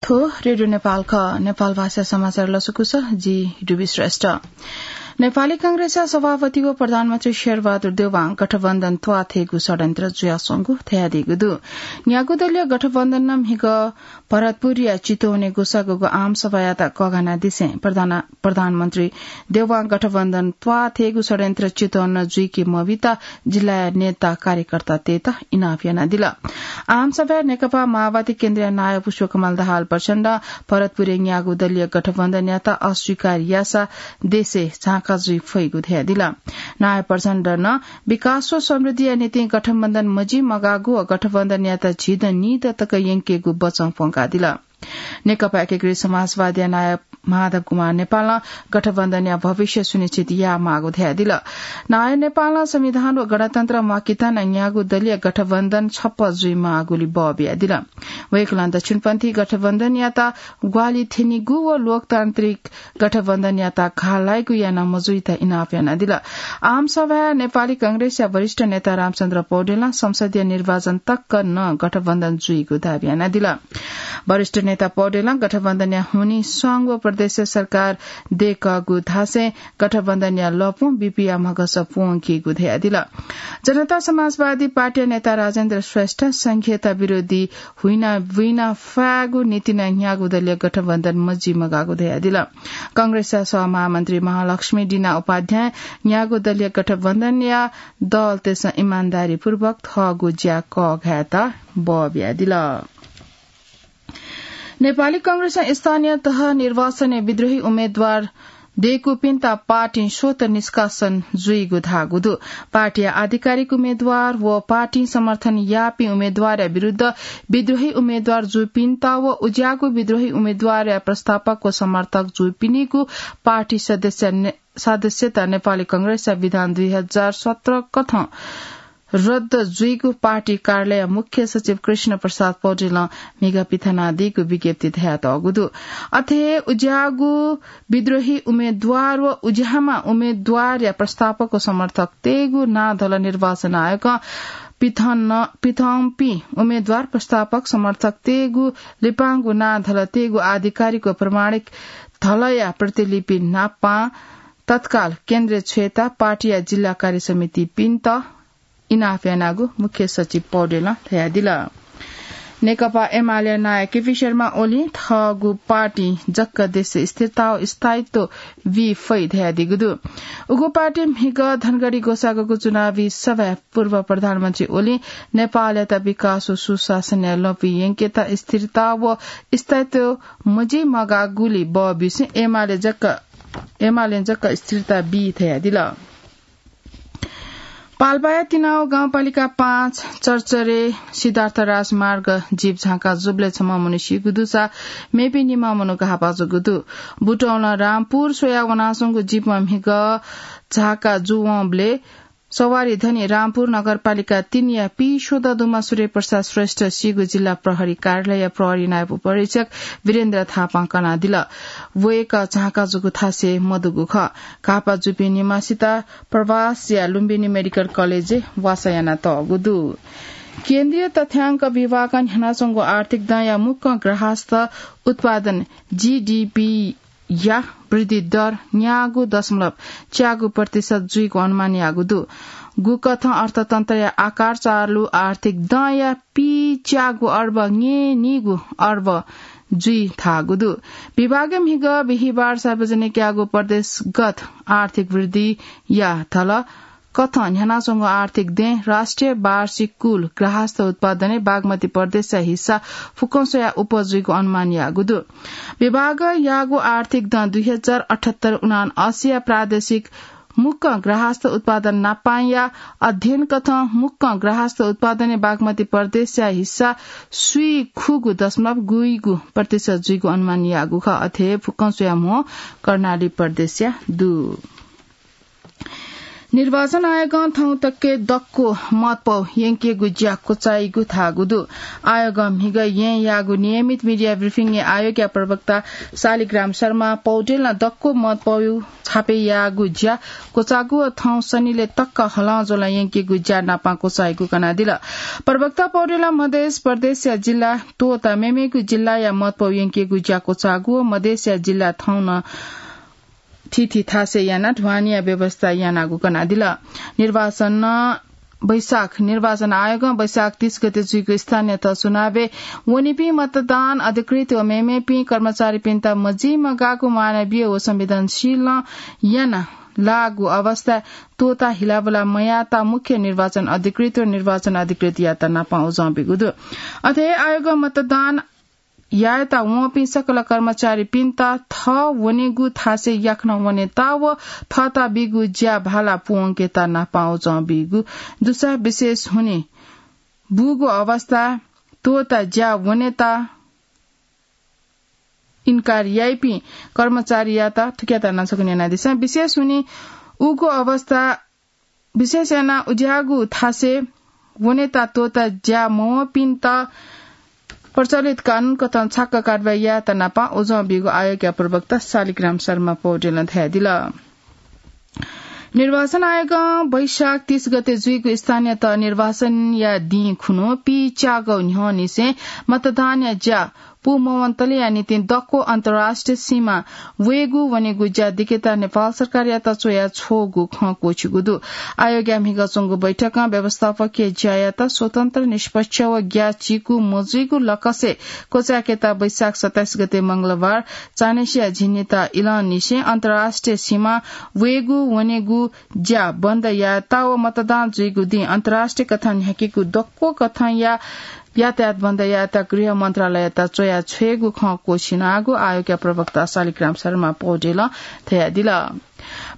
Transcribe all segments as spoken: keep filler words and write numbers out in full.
को रेडियो नेपाल ख, नेपाल भाषा समाचार लसकुस, जि डुबी श्रेष्ठ। नेपाली कांग्रेसया सभापति व प्रधानमन्त्री शेरबहादुर देउवां गठबन्धन त्वाथेगु षड्यन्त्र जुयाच्वंगु धयादीगु दु। न्यागू दलीय गठबन्धनं म्हिगः भरतपुरया चितवनय् ग्वसाःगु आमसभायात कःघानादिसें प्रधान-, प्रधानमन्त्री देउवां गठबन्धन त्वाथेगु षड्यन्त्र चितवनं जुइके मबीत जिल्लाया नेता कार्यकर्तातय्त इनाप यानादिल। आमसभाय् नेकपा माओवादी केन्द्रया नायः पुष्पकमल दाहाल प्रचण्डं भरतपुरय् न्यागू दलीय गठबन्धनयात अस्वीकार याःसा देशय् झांका जुइ फइगु धयादिल। नायः प्रचण्डनं विकास व समृद्धिया निंतिं गठबन्धन मजिमगाःगु व गठबन्धनयात झिदँ निदँ तक यंकेगु बचं प्वंकादिल। नेकपा एकीकृत समाजवादीया नायः माधव कुमार नेपालं गठबन्धनया भविष्य सुनिश्चित यायेमाःगु धयादिल। नायः नेपालं संविधान व गणतन्त्र म्वाकेत नं न्यागू दलीय गठबन्धन छप्पँ जुइमाःगुलि बः बियादिल। वय्कलं दक्षिणपन्थी गठबन्धनयात ग्वाहालि थ्यनीगु व लोकतान्त्रिक गठबन्धनयात घाः लाइगु याना मजुइत इनाप यानादिल। आमसभाय् नेपाली कांग्रेसया वरिष्ठ नेता रामचन्द्र पौडेलं संसदीय निर्वाचन तक नं गठबन्धन जुइगु दाबी यानादिल। वरिष्ठ नेता पौडेलं गठबन्धनया हुनिं स्वांगु व प्रदेश सरकार दयेकःगु धासें गठबन्धनया लँपुं बिपिया म्हगस प्वंकीगु धयादिल। जनता समाजवादी पार्टीया नेता राजेन्द्र श्रेष्ठ संघीयता विरोधी हुइना बुइना फायेगु निंतिं नं न्यागू दलीय गठबन्धन मजिमगाःगु धयादिल। कांग्रेसया सहमहामन्त्री महालक्ष्मी डिना उपाध्यायं न्यागू दलीय गठबन्धनया दलतय्सं इमानदारीपूर्वक थःगु ज्या कःघायेत बः बियादिल। नेपाली कांग्रेसं स्थानीय तह निर्वाचनय् विद्रोही उम्मेद्वार दय्कूपिन्त पार्टीं स्वतः निष्कासन जुइगु धाःगु दु। पार्टीया आधिकारिक उम्मेद्वार व पार्टीं समर्थन याःपिं उम्मेद्वारया विरुद्ध विद्रोही उम्मेद्वार जूपिन्त व उज्याःगु विद्रोही उम्मेद्वारया प्रस्तावक व समर्थक जूपिनिगु पार्टी सदस्य ने-, सदस्यता नेपाली कांग्रेसया विधान दुई हजार सत्र कथं रद्द जुइगु पार्टी कार्यालय मुख्य सचिव कृष्ण प्रसाद पौडेलं म्हिगः पिथनादीगु विज्ञप्ति धयातःगु दु। अथे हे उज्याःगु विद्रोही उम्मेद्वार व उज्याःम्ह उम्मेद्वारया प्रस्तावक व समर्थकतय्गु नां धल निर्वाचन आयोगं पिथन-, पिथंपिं उम्मेद्वार प्रस्तावक समर्थकतय्गु लिपांगु नां धलतय्गु आधिकारिक व प्रमाणिक धलया प्रतिलिपि नापं तत्काल केन्द्रय् छ्वयेत पार्टीया जिल्ला कार्य समितिपिन्त इनाप यानागु मुख्य सचिव पौडेलं धयादिल। नेकपा एमाले नायः केपी शर्मा ओलीं थःगु पार्टीं जक देशय् स्थिरता व स्थायित्व बी फइ धयादीगु दु। उगु पार्टीं म्हिगः धनगढी ग्वसाःगु चुनावी सभाय् पूर्व प्रधानमन्त्री ओलीं नेपालयात विकास व सुशासनया लँपुइ यंकेत स्थिरता व स्थायित्व मजिमगाःगुलि बः ब्यूसें एमाले जक, एमालें जक स्थिरता बी धयादिल। पाल्पाया तिनाउ गाउँपालिका पाँच चर्चरे सिद्धार्थ राजमार्ग जीप झांका जूबलय् छम्ह मनू सीगु दुसा मेपिं निम्ह मनू घाःपाः जूगु दु। बुटौलं रामपुर स्वयाः वनाच्वंगु जीपं म्हिगः झांका जूवंबलय् सवारी धनी रामपुर नगरपालिका तीनया पीस्वदँ दुम्ह सूर्यप्रसाद श्रेष्ठ सीगु जिल्ला प्रहरी कार्यालयया प्रहरी नायब उपरीक्षक वीरेन्द्र थापां कनादिल। वय्कः झांका जूगु थासय् मदुगु खः। घाःपाः जूपिं निम्हसित प्रवासया लुम्बिनी मेडिकल कलेजय् वासः यानातःगु दु। केन्द्रीय तथ्याङ्क विभागं न्ह्यानाच्वंगु आर्थिक दँया मुक्कं ग्राहस्थ उत्पादन, जीडीपी, या वृद्धि दर न्यागू दशमलव च्यागू प्रतिशत जुइगु अनुमान याःगु दु। गुकथं अर्थतन्त्रया आकार चालु आर्थिक दँया पीच्यागू अर्ब न्यय्निगू अर्ब जुइ धाःगु दु। विभागं म्हिगः बिहिबार सार्वजनिक याःगु प्रदेशगत आर्थिक वृद्धिया धल कथं न्ह्यानाच्वंगु आर्थिक दँय् राष्ट्रिय वार्षिक कुल ग्राहस्थ उत्पादनय् बागमती प्रदेशया हिस्सा फुक्कं स्वयाः अप्वः जुइगु अनुमान याःगु दु। विभागं याःगु आर्थिक दँ दुई हजार अठहत्तर उनान्असीया प्रादेशिक मुक्कं ग्राहस्थ उत्पादन नापांया अध्ययन कथं मुक्कं ग्राहस्थ उत्पादनय् बागमती प्रदेशया हिस्सा स्वीखुगू दशमलव गुइगू प्रतिशत जुइगु अनुमान याःगु खः। अथे फुक्कं स्वयाः म्हो कर्णाली प्रदेशया दु। निर्वाचन आयोगं थौं तक दक्व मतपौ यंकेगु ज्या क्वचाइगु धाःगु दु। आयोगं म्हिगः येँ याःगु नियमित media briefing-य् आयोगया प्रवक्ता शालिग्राम शर्मा पौडेलं दक्व मतपौ छापे याःगु ज्या क्वचाःगु व थौं सनिलय् तक हलंज्वलं यंकेगु ज्या नापं क्वचाइगु कनादिल। प्रवक्ता पौडेलं मधेस प्रदेशया जिल्ला त्वःता मेमेगु जिल्लाया मतपौ यंकेगु ज्या क्वचाःगु व मधेसया जिल्ला थौं नं थीथी थासय् यानाः ढ्वानीया व्यवस्था यानागु कनादिल। निर्वाचन वैशाख, निर्वाचन आयोगं वैशाख तीस गते जुइगु स्थानीय तह चुनावय् वनीपिं मतदान अधिकृत व मेमेपिं कर्मचारीपिन्त मजिमगाःगु मानवीय व संवेदनशीलं याना लाःगु अवस्था त्वःता हिलाबुला मयाःता मुख्य निर्वाचन अधिकृत व निर्वाचन अधिकृतयात नापं उजं बीगु दु। अथे आयोगं मतदान यायेत वंपिं सकल कर्मचारीपिन्त थः वनेगु थासय् याकनं वनेत व थःत बीगु ज्या भाला पुवंकेत नापं उजं बीगु दुसा विशेष हुने बूगु अवस्था त्वःता ज्या वनेत इन्कार याइपिं कर्मचारीयात थुकियात नासक न्यनादिसँ। विशेष हुने उगु अवस्था विशेष यानाः उज्याःगु थासय् वनेत त्वःता ज्या मवंपिन्त प्रचलित कानून कथं छाक्क कारवाही यायेत नापं उजं बीगु आयोगया प्रवक्ता शालिग्राम शर्मा पौडेलं धयादिल। निर्वाचन आयोगं वैशाख तीस गते जुइगु स्थानीय तह निर्वाचनया दिं खुन्हु पीच्यागौ न्ह्यःनिसें मतदानया ज्या पूमवंतलया निंतिं दक्व अन्तर्राष्ट्रिय सीमा वयेगु वनेगु ज्या दिकेत नेपाल सरकारयात च्वया छ्वःगु खँ क्वःछिगु दु। आयोगया म्हिगः च्वंगु बैठकं व्यवस्थापकीय ज्यायात स्वतन्त्र, निष्पक्ष व ग्याःचिकु मजुइगु लकसय् क्वचाय्केत वैशाख सत्ताइस गते मंगलबार चान्हय्सिया झिंनिता इलंनिसें अन्तर्राष्ट्रिय सीमा वयेगु वनेगु ज्या बन्द यायेत व मतदान जुइगु दिं अन्तर्राष्ट्रिय कथं न्ह्याकेगु दक्व कथंया यातायात बन्द यायेत गृह मन्त्रालययात च्वया छ्वयेगु खँ क्वःछिनागु आयोगया प्रवक्ता शालिग्राम शर्मा पौडेलं धयादिल।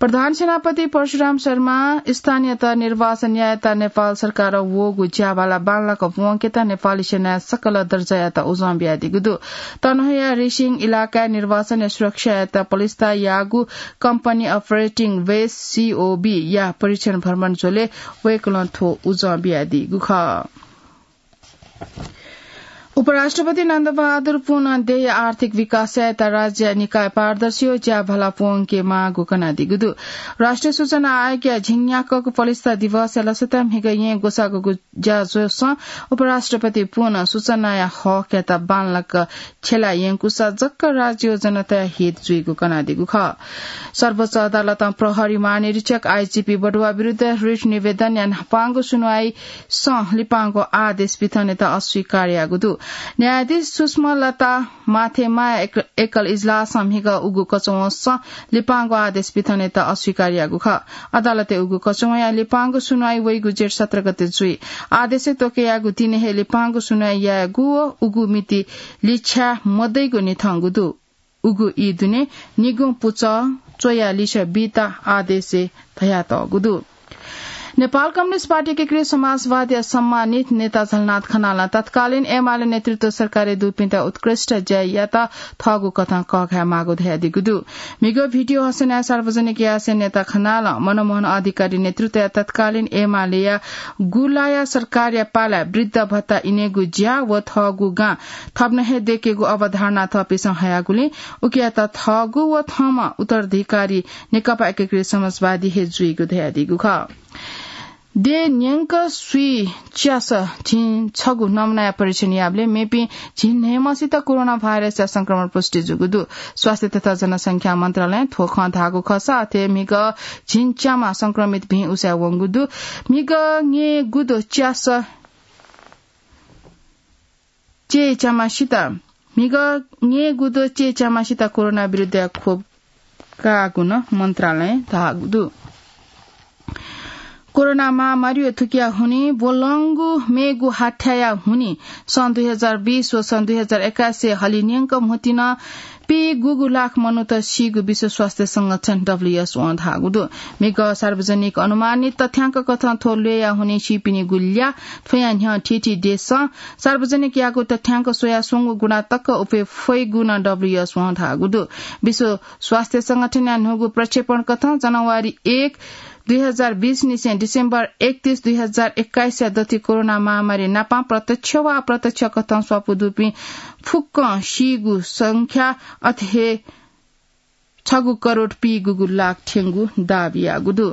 प्रधान सेनापति परशुराम शर्मा स्थानीय तह निर्वाचन यायेत नेपाल सरकारं वःगु ज्याभाला बांलाक प्वंकेत नेपाली सेनाया सकल दर्जायात उजं बियादीगु दु। तनहुँया रिसिङ इलाकाय् निर्वाचनया सुरक्षायात पलिस्था याःगु Company Operating Base, C O B, या परीक्षण भ्रमण झ्वलय् वय्कलं थ्व उजं बियादीगु खः। उपराष्ट्रपति नन्दबहादुर पुनं देय् आर्थिक विकास यायेत राज्य निकाय पारदर्शी व ज्याभाला प्वंकेमाःगु कनादीगु दु। राष्ट्रिय सूचना आयोगया झिंन्याक्वःगु पलिस्था दिवसया लसताय् म्हिगः येँ ग्वसाःगु ज्याझ्वलय् उपराष्ट्रपति पुनं सूचनाया हकयात बांलाक छ्यला यंकूसा जक राज्य व जनताया हित जुइगु कनादीगु खः। सर्वोच्च अदालतं प्रहरी महानिरीक्षक, आइजिपी बढुवा विरुद्ध रिट निवेदनया न्हापांगु सुनवाईसं लिपांगु आदेश पिथनेत अस्वीकार याःगु दु। न्यायाधीश सुषमा लता माथेमाया एक-, एकल इजलासं म्हिगः उगु कचवंसं लिपांगु आदेश पिथनेत अस्वीकार याःगु खः। अदालतय् उगु कचवंया लिपांगु सुनवाई वइगु जेठ सत्र गते जुइ। आदेशय् त्वःके याःगु दिनय् हे लिपांगु सुनवाई यायेगु व उगु मिति लिछ्याः मदइगु न्ह्यथंगु दु। उगु ई दुने निगुं पुचः च्वयाः लिछ्या बीत आदेशय् धयातःगु दु। नेपाल कम्युनिस्ट पार्टी एकीकृत समाजवादया सम्मानित नेता झलनाथ खनालं तत्कालीन एमाले नेतृत्व सरकारय् दुपिन्त उत्कृष्ट ज्या यात थःगु कथं कःघायेमाःगु धयादीगु दु। म्हिगः भिडियो हसनया सार्वजनिक यासें नेता खनालं मनमोहन अधिकारी नेतृत्वया तत्कालीन एमालेया गुलाया सरकारया पालाय् वृद्ध भत्ता इनेगु ज्या व थःगु गां थप नं हे दयेकेगु अवधारणा थःपिन्सं हयागुलिं उकियात थःगु व थःम्हं उत्तराधिकारी नेकपा एकीकृत समाजवादी हे जुइगु धयादीगु खः। देय् न्यंक स्वीच्यासः झिंछगू नमुनाया परीक्षण याःबलय् मेपिं झिंन्हय्म्हसित कोरोना भाइरसया संक्रमण पुष्टि जूगु दु। स्वास्थ्य तथा जनसंख्या मन्त्रालयं थ्व खँ धाःगु खःसा अथे म्हिगः झिंच्याम्ह संक्रमित भिं उसाँय् वंगु दु। म्हिगः न्यय्गुद्वः च्यासः चय्च्याम्हसित, म्हिगः न्यय्गुद्वः चय्च्याम्हसित कोरोना विरुद्धया खोप काःगु नं मन्त्रालयं धाःगु दु। कोरोना महामारी व थुकिया हुनिं ब्वलंगु मेगु हाथ्याया हुनिं सन् दुई हजार बीस व सन् दुई हजार एक्काइसय् हलिं न्यंक म्हुतुं नं पीगुगु लाख मनूत सीगु विश्व स्वास्थ्य संगठन, डब्ल्यूएचओं धाःगु दु। म्हिगः सार्वजनिक अनुमानित तथ्याङ्क कथं थ्व ल्वय्या हुनिं सीपिनिगु ल्याः थ्वयां न्ह्यः थीथी देशं सार्वजनिक याःगु तथ्याङ्क स्वयाः स्वंगू गुणा तक उफे फइगु नं डब्ल्यूएचओं धाःगु दु। विश्व स्वास्थ्य संगठनया न्हूगु प्रक्षेपण कथं जनवरी एक दुई हजार बीस निसें डिसेम्बर एकतीस दुई हजार एक्काइस या दथि कोरोना महामारी नापां प्रत्यक्ष वा अप्रत्यक्ष कथं स्वापू दुपिं फुक्कं सीगु संख्या अथे हे छगू करोड पीगूगु लाख थ्यंगु दाबी याःगु दु।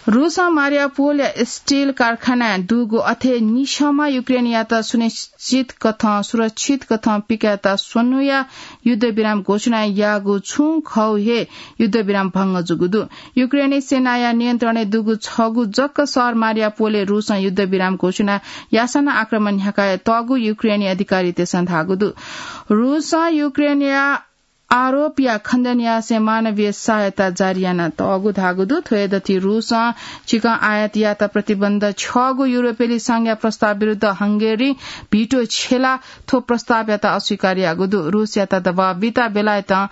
रूसं मारियापोलया स्टिल कारखानाय् दुगु अथे निसमा युक्रेनयात सुनिश्चित कथं, सुरक्षित कथं पिकायेत स्वन्हुया युद्धविराम घोषणा याःगु छुं खौ हे युद्धविराम भंग जूगु दु। युक्रेनी सेनाया नियन्त्रणय् दुगु छगू जक शहर मारियापोलय् रूसं युद्धविराम घोषणा यासं आक्रमण न्ह्याकातःगु युक्रेनी अधिकारीतय्सं धाःगु दु। रूसं युक्रेनया आरोपया खण्डन यासें मानवीय सहायता जारी यानातःगु धाःगु दु। थ्व दथि रूसं चिकं आयात यात प्रतिबन्ध छ्यःगु युरोपेली संघया प्रस्ताव विरुद्ध हंगेरीं भिटो छ्यला थ्व प्रस्तावयात अस्वीकार याःगु दु। रूसयात दबाव बिता बेलायतं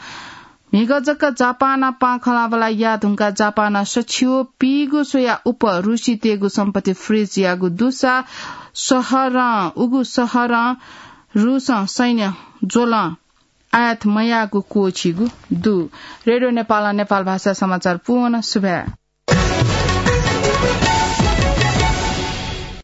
म्हिगः जक जापानं पांखलाबला याः धुंकाः जापानं सछियो पीगु स्वया उप रूसीतय्गु सम्पत्ति फ्रिज याःगु दुसा शहरं, उगु शहरं रूसं सैन्य ज्वलं आयात मयाःगु क्वःछीगु दु। रेडियो नेपालं नेपाल भाषा समाचार पूवं सुभाय्।